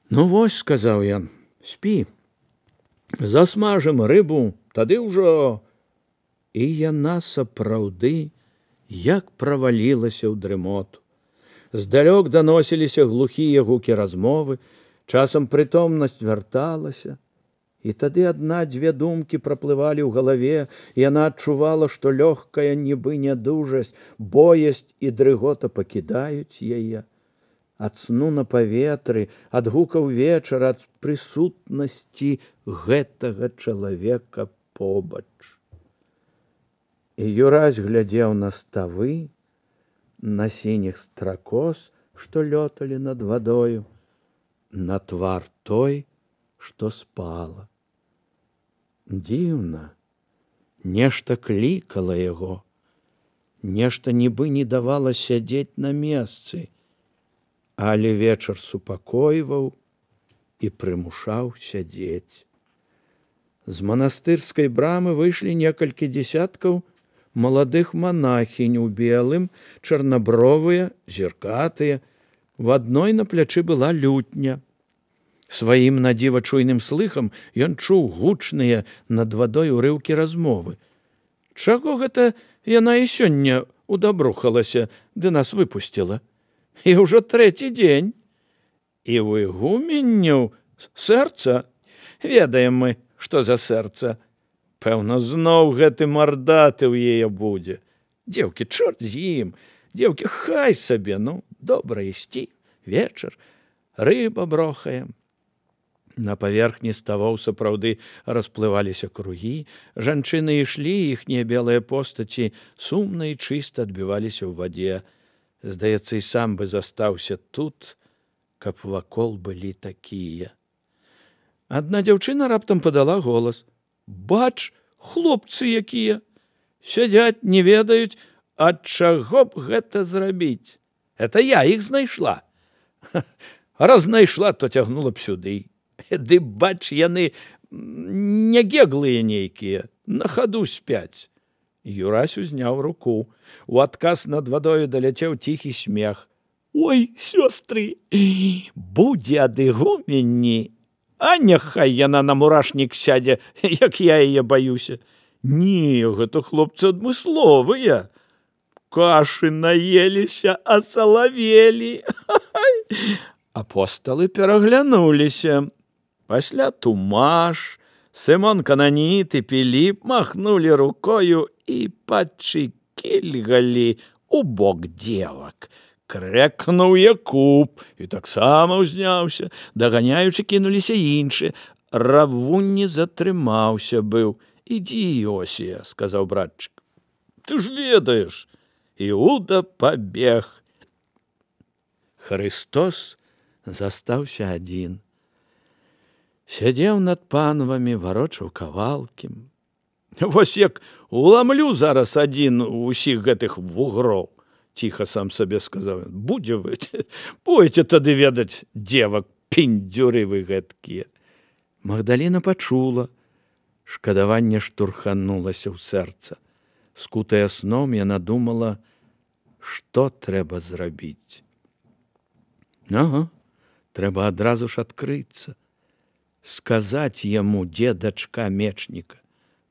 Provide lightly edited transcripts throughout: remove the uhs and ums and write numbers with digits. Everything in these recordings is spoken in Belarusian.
Ну вось, сказаў ён, спі, засмажым рыбу, тады ўжо. І яна сапраўды як правалілася ў дрымоту. Здалёк даносіліся глухія гукі размовы, часам прытомнасць вярталася, і тады адна-дзве думкі праплывалі ў галаве, і яна адчувала, што лёгкая нібы нядужасць, боязь і дрыгота пакідаюць яе. Ад сну на паветры, ад гукаў вечара, ад прысутнасці гэтага чалавека побач. І Юрась глядзеў на ставы, на сініх стракоз, што лёталі над вадою, на твар той, што спала. Дзіўна, нешта клікала яго, нешта нібы не давала сядзець на месцы, але вечар супакойваў і прымушаў сядзець. З манастырскай брамы выйшлі некалькі дзесяткаў маладых монахінь у белым, чарнабровыя, зіркатыя. В адной на плячы была лютня. Сваім надзіва чуйным слыхам ён чуў гучныя над вадой урыўкі размовы. Чаго гэта яна і сёння удабрухалася, ды нас выпусціла? І ўжо трэці дзень. І ў ігуменняў сэрца. Ведаем мы, што за сэрца. Пэўна, зноў гэты мардаты ў яе будзе. Дзеўкі, чорт з ім. Дзеўкі, хай сабе, ну, добра ісці, вечар, рыба брохаем. На паверхні ставоў сапраўды расплываліся кругі, жанчыны ішлі, іхнія белыя постаці сумна і чыста адбіваліся ў вадзе. Здаецца, і сам бы застаўся тут, каб вакол былі такія. Адна дзяўчына раптам падала голас. Бач, хлопцы якія! Сядзяць, не ведаюць, ад чаго б гэта зрабіць. Это я іх знайшла. Раз знайшла, то цягнула б сюды. Ды, бач, яны не геглыя нейкія, на хаду спяць. Юрась узняў руку. У адказ над вадою даляцеў ціхі смех. Ой, сёстры, будзе ад ігуменні. А няхай яна на мурашнік сядзе, як я яе баюся. Не, гэта хлопцы адмысловыя. Кашы наеліся, асалавелі. Апосталы пераглянуліся. Пасля Тумаш, Сымон Кананіт і Піліп махнулі рукою і пачыкільгалі у бок дзевак. Крэкнуў Якуб і таксама ўзняўся. Даганяючы кінуліся іншыя. Равун не затрымаўся быў. Ідзі, Іосія, сказаў братчык. Ты ж ведаеш. Іуда пабег. Хрыстос застаўся адзін. Сядзеў над панвамі, варочаў кавалкі. Вось як уламлю зараз адзін усіх гэтых вугроў. Ціха сам сабе сказаў. Будзе вы, пойце тады ведаць дзевак, піндзюры вы гэткія. Магдаліна пачула. Шкадаванне штурханулася ў сэрца. Скутая сном, яна думала, што трэба зрабіць. Ага, трэба адразу ж адкрыцца. Сказаць яму, дзе дачка мечніка.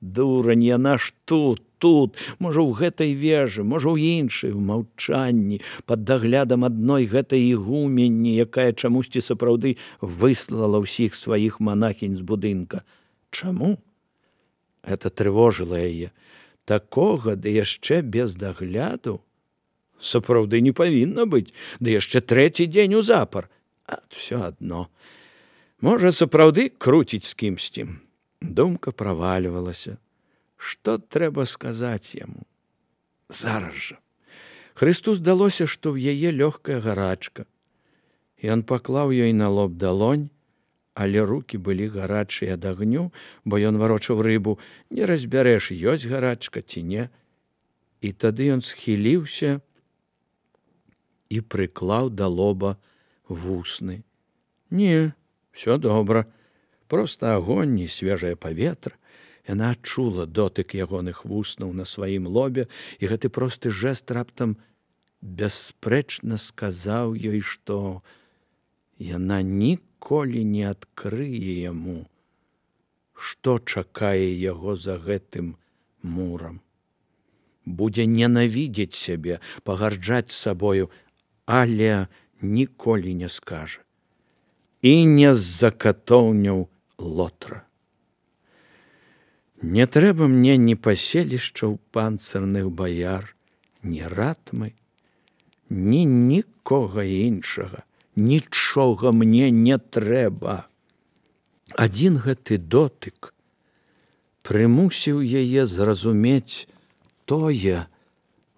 Дурань, яна ж тут, можа, ў гэтай вежы, можа, ў іншай, у маўчанні, пад даглядам адной гэтай ігуменні, якая чамусьці сапраўды выслала ўсіх сваіх монахінь з будынка. Чаму? Гэта трывожыла яе. Такога, ды яшчэ без дагляду, сапраўды не павінна быць, ды яшчэ трэці дзень узапар. А ўсё адно. Можа, сапраўды круціць з кімсьці. Думка правальвалася. Што трэба сказаць яму? Зараз жа. Хрысту здалося, што ў яе лёгкая гарачка. Ён паклаў ёй на лоб далонь, але рукі былі гарачыя ад агню, бо ён варочаў рыбу. Не разбярэш, ёсць гарачка ці не. І тады ён схіліўся і прыклаў да лоба вусны. Не, всё добра. Проста агонь і свежае паветра. Яна адчула дотык ягоных вуснаў на сваім лобе, і гэты просты жэст раптам бясспрэчна сказаў ёй, што яна ніколі не адкрые яму, што чакае яго за гэтым мурам. Будзе ненавідзець сябе, пагарджаць сабою, але ніколі не скажа. І не з-за катоўняў Лотра. Не трэба мне ні паселішчаў панцырных баяр, ні ратмы, ні нікога іншага. Нічога мне не трэба. Адзін гэты дотык прымусіў яе зразумець тое,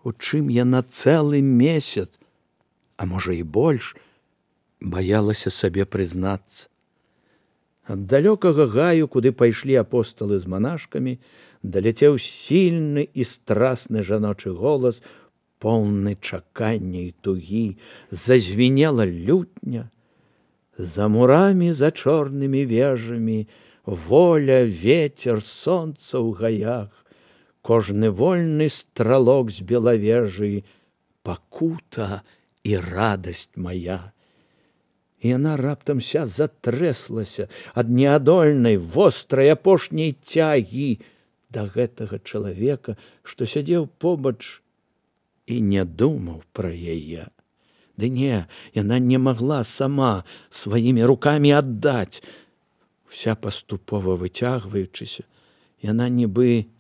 у чым яна цэлы месяц, а можа і больш, баялася сабе прызнацца. Ад далёкага гаю, куды пайшлі апосталы з манашкамі, даляцеў сільны і страсны жаночы голас, поўны чакання і тугі, зазвінела лютня. За мурамі, за чорнымі вежамі, воля, ветер, сонца ў гаях, кожны вольны стралок з белавежы, пакута і радасць мая. І яна раптам ся затрэслася ад неадольнай, вострай апошняй цягі да гэтага чалавека, што сядзеў побач і не думаў пра яе. Ды не, яна не магла сама сваімі рукамі аддаць. Уся паступова выцягваючыся, яна нібы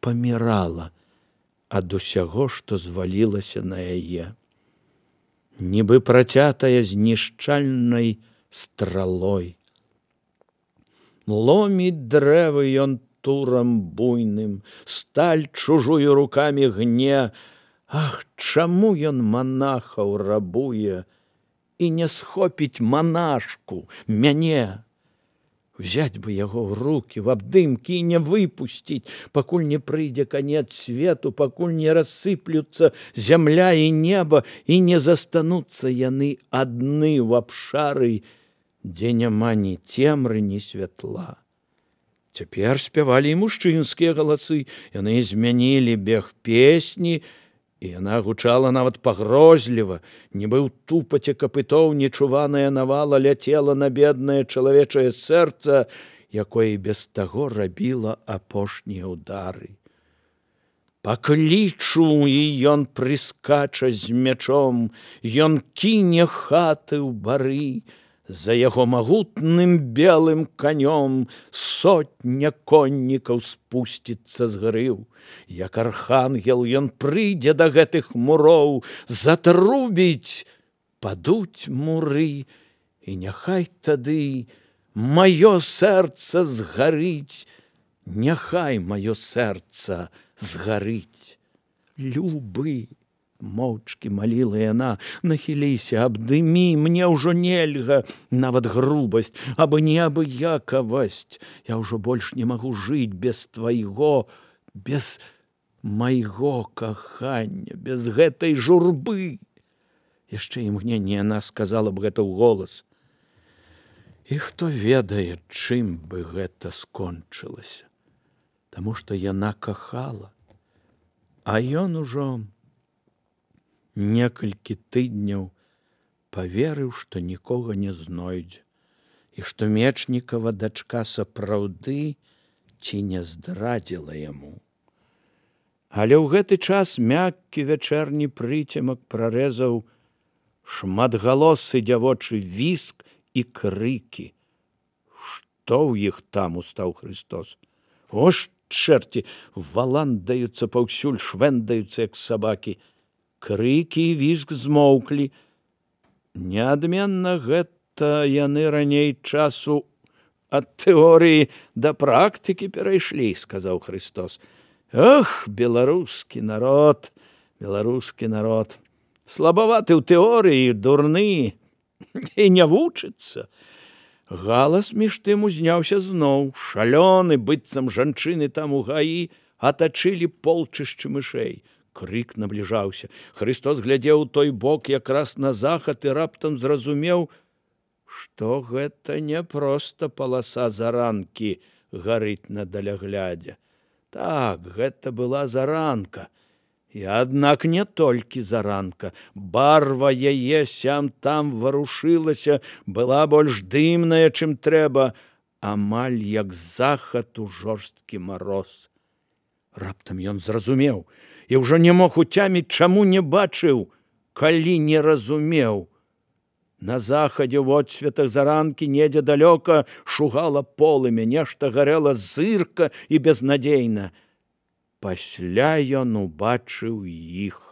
памірала ад усяго, што звалілася на яе. Нібы працятая знішчальнай стралой. Ломіць дрэвы ён турам буйным, сталь чужую рукамі гне. Ах, чаму ён манахаў рабуе і не схопіць манашку, мяне? Взять бы яго ў рукі, в абдымкі і не выпусціць, пакуль не прыйдзе канец свету, пакуль не рассыплюцца зямля і неба і не застануцца яны адны ў абшары, дзе няма ні цемры, ні святла. Цяпер спявалі і мужчынскія галасы, яны змянілі бег песні, і яна гучала нават пагрозліва, нібы ў тупаце капытоў нечуваная навала ляцела на беднае чалавечае сэрца, якое без таго рабіла апошнія ўдары. Паклічу, і ён прыскача з мячом, ён кіне хаты ў бары, за яго магутным белым канём сотня коннікаў спусціцца з грыў. Як архангел ён прыйдзе да гэтых муроў, затрубіць, падуць муры, і няхай тады маё сэрца згарыць, няхай маё сэрца згарыць. Любы, моўчкі маліла яна, нахіліся, абдымі, мне ўжо нельга, нават грубасць, абы неабыякавасць. Я ўжо больш не магу жыць без твайго, без майго кахання, без гэтай журбы. Яшчэ імгненне яна сказала б гэта ўголас. І хто ведае, чым бы гэта скончылася, таму што яна кахала, а ён ужо некалькі тыдняў паверыў, што нікога не знойдзе, і што Мечнікава дачка сапраўды ці не здрадзіла яму. Але ў гэты час мяккі вячэрні прыцемак прарэзаў шматгалосы дзявочы віск і крыкі. Што ў іх там, устаў Христос? О, чэрці, валандаюцца паўсюль, швэндаюцца, як сабакі. Крыкі і віск змоўклі. Неадменна гэта яны раней часу ад тэорыі да практыкі перайшлі, сказаў Христос. Ох, беларускі народ, беларускі народ. Слабаваты ў тэорыі, дурны, і не вучыцца. Галас між тым узняўся зноў. Шалёны, быццам жанчыны там у гаі, атачылі полчышчы мышэй. Крык набліжаўся. Христос глядзеў у той бок якраз на захад і раптам зразумеў, што гэта не проста паласа заранкі гарыць на даляглядзе. Так, гэта была заранка, І аднак не толькі заранка. Барва яе сям-там варушылася, была больш дымная, чым трэба, амаль як захад у жорсткі мароз. Раптам ён зразумеў і ўжо не мог уцяміць, чаму не бачыў, калі не разумеў. На захадзе ў водсветах заранкі недзе далёка шугала полымя, нешта гарэла зырка і безнадзейна. Пасля ён убачыў іх.